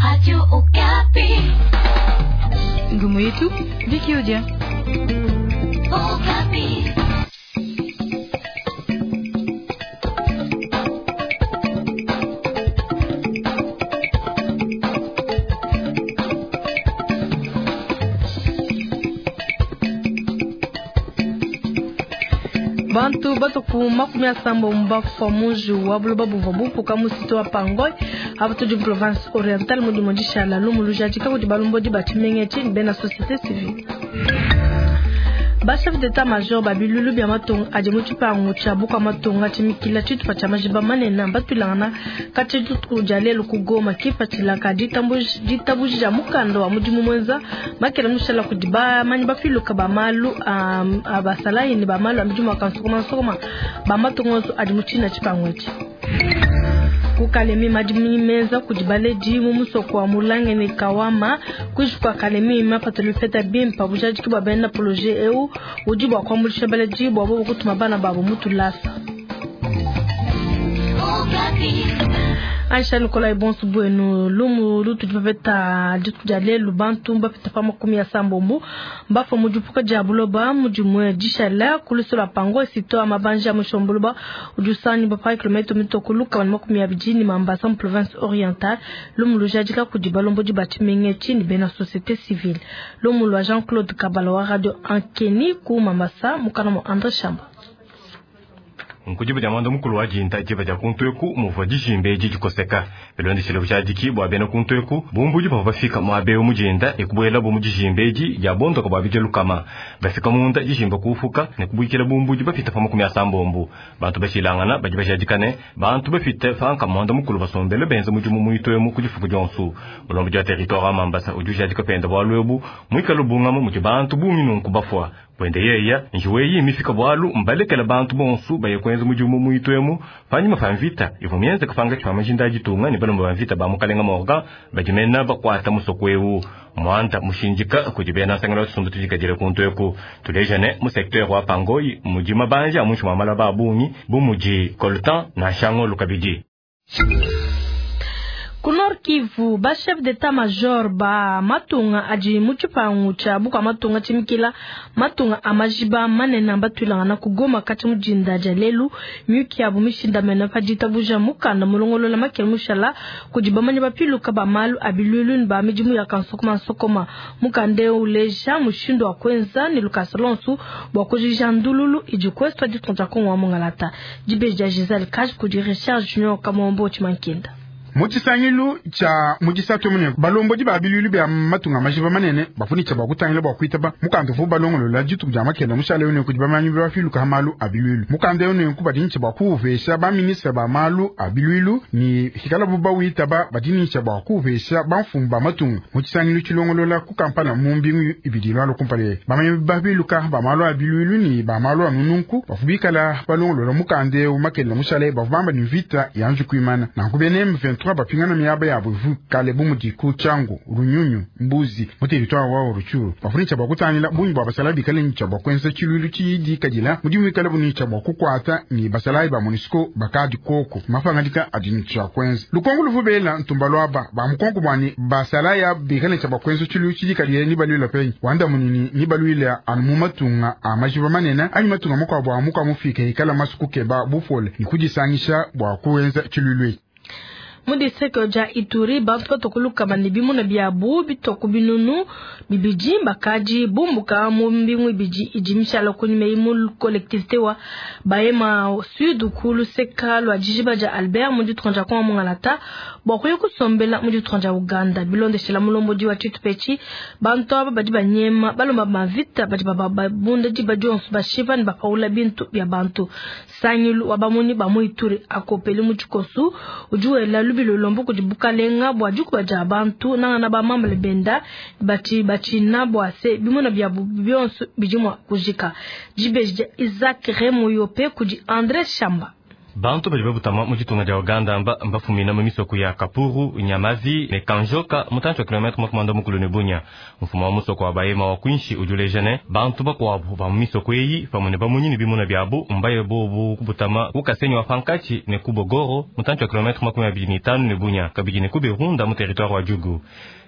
Radio Okapi. Ngumu yetu Viki Odia. Okapi. Bantu batuku 30 bafua muji wa buloba buvua bupuka mu site wa Pangoy apa tudi mu province orientale mu dimue dishala lumu lujadika kudi balombodi ba tshimenga etshi ne bena société civile. Ba chef d'état major ba bilulu bia matunga adi mu tshipangu tshia bukua matunga tshimikila tshitupa tshia majiba manene mbatuilangana katshia dituku dia lelu ku Goma kipatshila ka ditabuji dia mukanda wa mudimu muenza makela mushala kudi bamanyi bapiluka ba malu a basalayi ne ba malu a midimu a kansokoma nsokoma ba matunga onso adi mu tshina tshipangu etshi. Ku Kalemi madimi menza kudi baledi mu musoko wa Mulange ne Kawama kuinshi kua Kalemi mapatula bipeta bimpe bujadiki bua bena projet eu udi bua kuambuluisha baledi bua bobo kutuma bana babo mu tulasa. Aisha Nikolai bonso buenu lumu lutudi bapeta dituku dia lelu bantu bapeta pa 30 mbafua mu dipuka dia buloba mu dimue dishala ku luso lua Pango sito ya mabanja ya mushombuluba udi usangibua pa kilomètre mitoko 120 ne Mambasa mu province orientale. Lumu lujadika kudi balombodi ba tshimenga etshi ne bena société civile. Lumu lua Jean-Claude Kabala wa radio Ankeni ku Mambasa mukana mua André Shamba. Nkudiba dia mwanda mukulu wa dinda diba dia kuntu eku muvua dijimba edi dikoseka bilondeshile bujadiki bua bena kuntu eku bumbudi bavua bafika muaba eu mu dinda ekubuelabu mu dijimba edi dia bondoka bua bidia lukama bafika munda dijimba kuufuka ne kubuikila bumbudi bapita pa 30. Bantu bashilangana badi bajadika ne bantu bapite panka mwanda mukulu basombele benza mudimu muitu emu ku difuku dionso. Mulombodi wa territoire wa Mambasa udi ujadika penda bualu ebu muikale bungama mudi bantu bungi nunku bafua. Bwende yeya njiwe imifika bwalu mbalekela bantu bonso baye kwenza mudimu muitu emu panyima pa mvita ivua mienzeka pankatshi pa majinda a ditunga ne balomba ba mvita ba mukalenga Morgan badimena bakuata musoko eu muanda mushindika kudi bena nsangelo wa tshisumbu tudikadile kuntu eku tuleja ne mu secteur wa Pangoyi mudi mabanja a muinshi mua malaba a bungi bu mudi coltan na shangolu kabidi. Ku Nord Kivu, ba chef d'état major ba matunga adi mu tshipangu tshia bukua matunga tshimikila matunga a majiba manene mbatuilangana ku Goma kati mu dinda dia lelu miyuki yabu mishindamene pa ditabuja mukanda mulongolola makela mushala kudi bamanyi bapiluka ba malu a bilulu ne ba midimu ya kansokoma nsokoma. Mukanda eu uleja mushindu wa kuenza ne lukasa lonso bua kujija ndululu idi kuesu ditunga dia Kongo wa Mungalata. Dibeji dia Giselle Kaj kudi Richard Junior Kamombo Tshimankenda. Mu tshisangilu tshia mu disatu mune balombodi ba bilulu bia matunga majiba manene bafunitsha bua kutangila bua kuitaba mukanda uvua balongolola dituku dia makela mushale eu kudi bamanyi bafiluka ha malu a bilulu. Mukanda eu nenku badi bua kuuvesha ba ministre ba malu a bilulu ni hikalabu bawitaba badi bua kuuvesha bamfumu ba matunga. Mu tshisangilu tshilongolola ku Kampala mu mbingu ibidi lwalo kumpala bamanyi bafiluka ba malu a bilulu ni ba malu a nununku bafubikala balongolola mukanda eu makela mushale bavua bamba ni vita yanji kuimana nanku bene M23 bapingana miaba yabo kale bu mudi ku Tshangu, Runyunyu, Mbuzi mu territoire wa Rutshuru bafunitsha bua kutangila bungi bua basalayi bikale nitsha bua kuenza tshilulu tshidikadila mudimu wikale bunitsha bua kukuata ni basalayi ba MONUSCO bakadi koko mapangadika adi nitsha kuenza lukongo luvubela ntumba lwaba ba mukongo bwani basalayi bikale nitsha bua kuenza tshilulu tshidikadila ni balwila penyi wanda munini ni balwila anu mu matunga a majiba manene anyi matunga mukuabu a muka mufike ikala masuku keba bupole ni kudisangisha bua kuenza tshilulu. Mu district dia Ituri bantu batokuluka bane bimuna biabu bitoku binunu bibidi bakadi bumbuka mu mbingu ibidi idi mishala kunyuma mu collectivité wa Bahema Sud ku luseka lua dijiba dia Albert mu ditunga dia Kongo Mungalata bua kuya kusombela mu ditunga dia Uganda. Bilondeshela mulombodi wa tshitupa bantu aba badi banyema balomba mavita badi babunda diba dionso bashipa ne bapaula bintu bia bantu. Sangilu wa bamunyi ba mu Ituri akopeli mu tshikosu udi wela lubilo lombo kudi bukalenga bua dikuba dia bantu nangana ba mambele benda bati bachina bua se bimuna biabu bionso bidi mua kujika. Dibeji dia Isaac Remoyope kudi André Shamba. Bantu badi babutama mu ditunga dia Uganda mba mbafumina mu misoko ya Kapuru, Nyamazi ne Kanjoka mutantshi wa kilometre 40 ne Bunia. Mfumu wa musoko wa Bahema wa kwinshi udi uleja ne bantu bakuabu ba mu misoko eyi pamue ne bamunyi ne bimuna biabu mbaye bobu kubutama ku Kasenyi wa pankatshi ne ku Bogoro mutantshi wa kilometre 25 ne Bunia, kabidi ne ku Berunda mu territoire wa Djugu.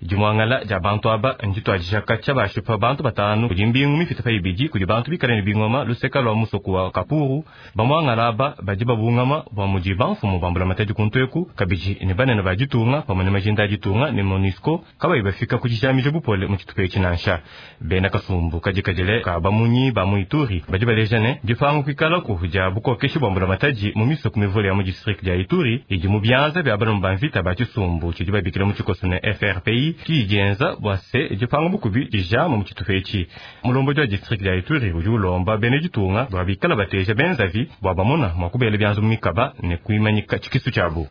Dimuangala dia bantu aba ndituadija katshia bashipa bantu batanu kudi mbingu mipite pa ibidi kudi bantu bikale ne bingoma luseka lua musoko wa Kapuru. Bamuangala aba badi babungama bua mudi bamfumu ba mbulamatadi kuntu eku kabidi ne banene ba ditunga pamue ne majinda a ditunga ne MONUSCO kabayi bafika ku dijamija bupole mu tshitupa etshi nansha. Bena kasumbu kadikadile ka bamunyi ba mu Ituri badi baleja ne dipanga kuikalaku dia bukokeshi bua mbulamatadi mu misoko mivule ya mu district dia Ituri idi mu bianza bia balomo ba mvita ba tshisumbu tshidi babikila mu tshikoso ne FRPI ki dienza bua se dipanga bukubi dijama mu tshitupa etshi. Mulombodi wa district dia Ituri udi ulomba bena ditunga bua bikala bateja benzavi bua bamona mua kubela bianza mu mikaba ne kuimanyika tshikisu tshiabu.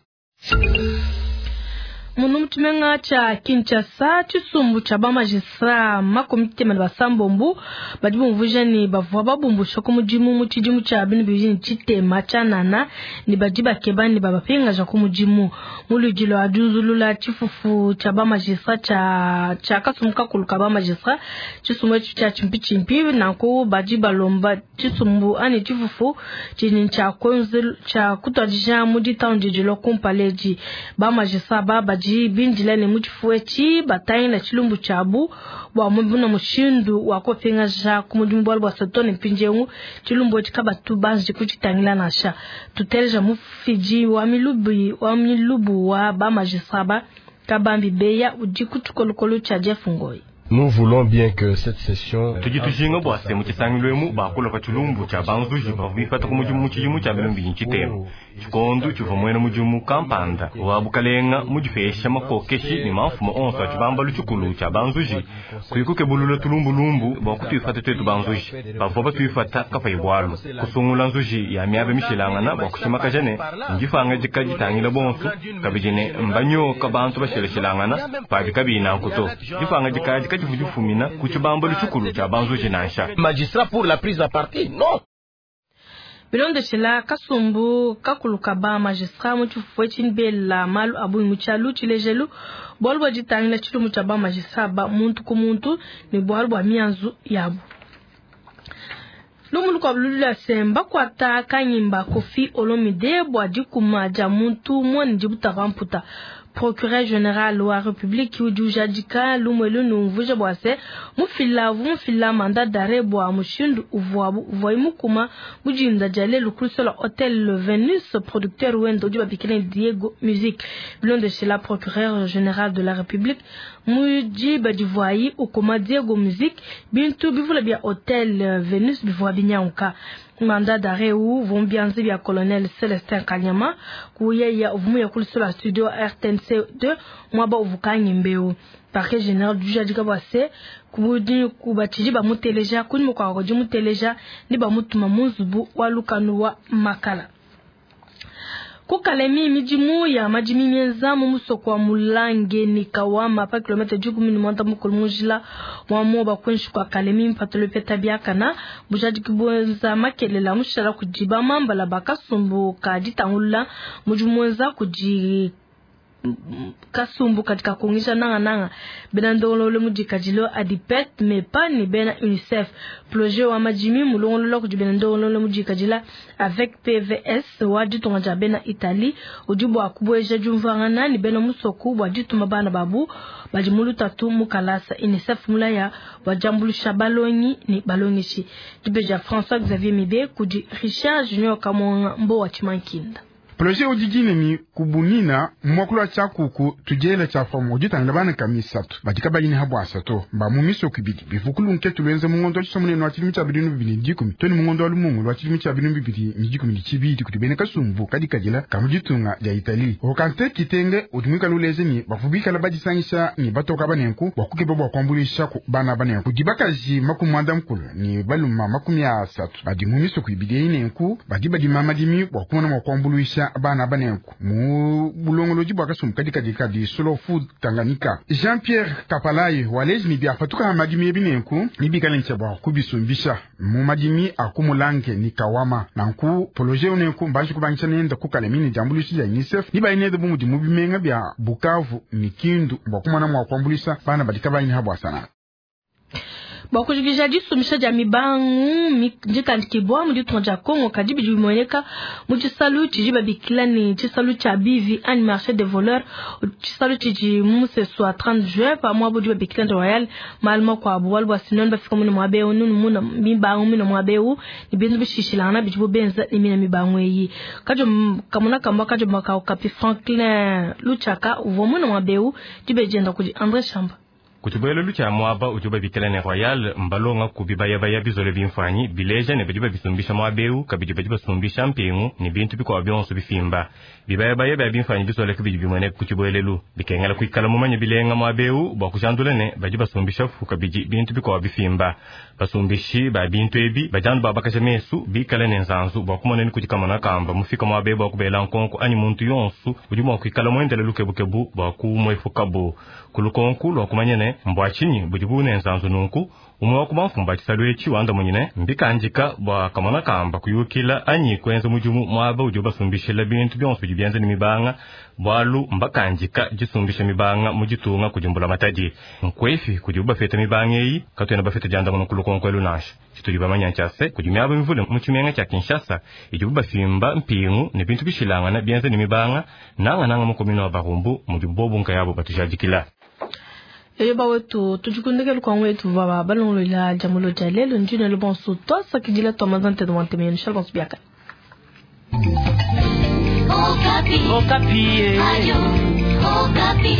Munu mu tshimenga tshia Kinshasa, tshisumbu tshia ba magistrat 36 badi bumvuija ne bavua babumbusha ku mudimu mu tshidimu tshia 2003 tshianana ne badi bakeba ne babapingaja ku mudimu. Mu luidi lua diunzulula tshifufu tshia ba magistrat tshia kasumbu kakulu ka ba magistrat, tshisumbu etshi tshia tshimpitshimpi nanku badi balomba tshisumbu ani tshifufu tshidi tshia kutuadija mu ditanu didi kumpala edi. Ba magistrat ba badi bindila ne mu tshifufu etshi batangila tshilumbu tshiabu bua mubuna mushindu wa kupingaja ku mudimu bualu bua satone mpindiewu tshilumbu etshi kabatu banji kutshitangila nansha. Tuteleja mufidi wa milubu wa ba magistrat ba Kabambi Beya udi ku tshikolokolo tshia Jeff Ngoi. Nous voulons bien que cette session tudi tujinga bua se mu tshisangilu emu bakula pa tshilumbu tshia banzuji bavua bipata ku mudimu mu tshidimu tshia 2003. Tshikondo tshivua muena mudimu kampanda wa bukalenga mudipesha makokeshi ne mamfumu onso a tshibambalu tshikulu tshia banzuji kuikukebulula tulumbulumbu bua kutuifata tuetu banzuji bavua batuifata kapayi bualu kusungula nzuji ya miaba mishilangana bua kushimakaja ne ndifanga dikaditangila bonso kabidi ne mbanyoka bantu basheleshelangana pabi kabiyi nanku to difanga dikadi difumina ku tshibambalu tshikulu tshia banzuji nansha. Magistrat pour la prise à partie, non. Bilondeshela kasumbu kakulu ka ba magistrat mu tshifufu etshi mbela malu abu mu tshialu tshilejelu bualu bua ditangila tshilumbu tshia ba magistrat ba muntu ku muntu ne bualu bua mianzu yabu. Lumu lukuabu lulula semba kuata kanyimba Koffi Olomide bua dikuma dia muntu muene dibutaka mputa. Procureur général wa République udi ujadika lumwelu numvuja bua se mufila mandat d'arrêt bua mushindu uvuayi mukuma mujinda dia lelu kulisola Hotel Venus producteur wendo udi babikila Diego Music. Bilondeshela procureur général de la République muji badivuayi ukuma Diego Music bintu bivula bia Hotel Venus bivua binyanguka. Mandat d'arrêt ou vont bien bia colonel Celestin Kanyama kuyeya uvumu ya kulisola studio RTNC 2 mwaba uvukanyi mbeu. Parquet général du jadika bwase kubudi kubatiji ba muteleja kuni mukwa koji muteleja ni ba mutuma munzubu wa lukanu wa makala. Kukalemi mijimu ya majimi mienza mu musoko wa Mulange ni Kawama pa kilomita 10 mukulu mujila wa moba kwenshi kwa Kalemi mpatolo peta biakana bujadi kibwenza makelela mushala kujiba mambala bakasumbu kaditangula mujimu kuji kasumbu katika kuongesha nanga nanga bena ndongololo mudikajilo adipet mepa ni bena UNICEF projet wa majimi mulongololo kuji bena ndongololo mudikajila avec PVS wa ditonga ja bena Italie ujibu akubweja jumvangana ni bena musoku wa dituma bana babu bajimulu tatu mukalasa UNICEF mulaya wa jambulusha balongi ni balongishi dibeja François Xavier Mibe kuji Richard Junior Kamonga mbo wa Chimankinda. Projet ujijini ni kubunina mwakulu wa chakuku tujela cha fomu ujitangila bana kamisatu badika bayini habu asato mba mu misoko ibidi bivukulu nketu lwenza mungondo wa chisomunene wa chilimi cha bidinu bibili ndikumi toni mungondo wa lumungu wa chilimi cha bidinu bibili ndikumi ni chibidi kuti bene kasumbu kadikadila kamujitunga ja Itali okante kitenge utumika luleze ni bafubikala badisangisha ni batoka banenku wakukeba bwa kwambulisha ku bana banenku dibakaji makumwanda mukulu ni baluma 30 badi mu misoko ibidi inenku badi badima madimi bwa kumona mwa kwambulisha. kuabanya bana banenku mu bulongolodi bua kasumbu kadikadi kadi Slow Food Tanganyika. Jean Pierre Kapalayi waleji ni biapatuka madimi ebi nenku nibikale ntsha bua kubisumbisha mu madimi a kumulange ni kawama nanku poloje unenku mbanji kubangisha nenda kukalemi ni diambuluisha dia UNICEF nibayi bu mudi mu bimenga bia Bukavu ni Kindu bua kumona mua kuambuluisha bana badi kabayi habwa sana. Bua kujikija disumbisha dia mibangu ndikandikibwa mu ditunga dia Congo kadi bidi bimueneka mu tshisalu tshidi babikila ne tshisalu tshia bivi anyi marché des voleurs, tshisalu tshidi mu musesu wa 30 juin pa muaba udi babikila ne Royal malu makuabu bualu bua sinoni bafika mune muaba eu nunu muna mibangu mine muaba eu ne bintu bishishilangana bidibo benza ne mina mibangu eyi kajo kamuna kamba kajo makao kapi Franklin Luchaka uvua mune muaba eu dibejenda kudi André Chamba. Kutshibuelelu tshia muaba udi babikila ne Royal mbalonga ku bibayabaya bizole bimfanyi bileja ne badi babisumbisha muaba eu kabidi badi basumbisha mpingu ne bintu bikuabu bionso bifimba. Bibayabaya bia bimfanyi bizole bidi bimueneka ku tshibuelelu bikengela kuikala mumanye bilenga muaba eu bua kujandula ne badi basumbisha fu kabidi bintu bikuabu bifimba. Basumbishi ba bintu ebi badi babakaja mesu bikale ne nzanzu bua kumona ni kudi kamona kamba mufika muaba eu bua kubela nkonko anyi muntu yonso udi mua kuikala muendele lukebukebu bua kumuepukabu. Kulukonku lua kumanya ne mbwa tshinyi budi bune nzanzu nunku umwe wa kubamfumba tshisalu etshi wanda munyine mbikandika bua kamona kamba kuyukila anyi kuenza mudimu muaba udi basumbishila bintu bionso bidi bienza ne mibanga bualu mbakandika disumbisha mibanga mu ditunga kudi mbula matadi nkwefi kudi bafeta mibanga eyi katuena bafeta diandamuna kulukonko elu nansha. Tshitudi bamanya ntshia kudi miaba mivule mu tshimenga tshia Kinshasa idibu bafimba mpingu ne bintu bishilangana bienza ne mibanga nangananga mu komino wa Barumbu mudi bobu nkayabo batujadikila. Eyo bawetu tujikundekelu kwa wetu baba balongolola jamulo ja lelo ndine lo bonso twasakidila twamazante dwantemenu shalbonso biaka. Okapi. Okapi. Ayo, Okapi.